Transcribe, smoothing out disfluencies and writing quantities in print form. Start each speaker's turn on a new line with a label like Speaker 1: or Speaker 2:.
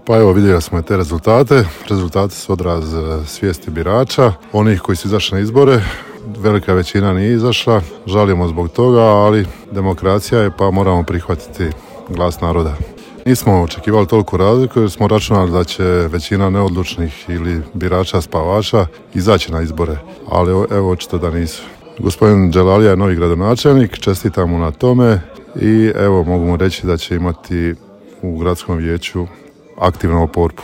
Speaker 1: Pa evo, vidjeli smo te rezultate. Rezultati su odraz svijesti birača, onih koji su izašli na izbore. Velika većina nije izašla, žalimo zbog toga, ali demokracija je pa moramo prihvatiti glas naroda. Nismo očekivali toliko razliku jer smo računali da će većina neodlučnih ili birača spavača izaći na izbore, ali evo očito da nisu. Gospodin Đelalija je novi gradonačelnik, čestitam mu na tome i evo mogu mu reći da će imati u gradskom vijeću aktivnu oporbu.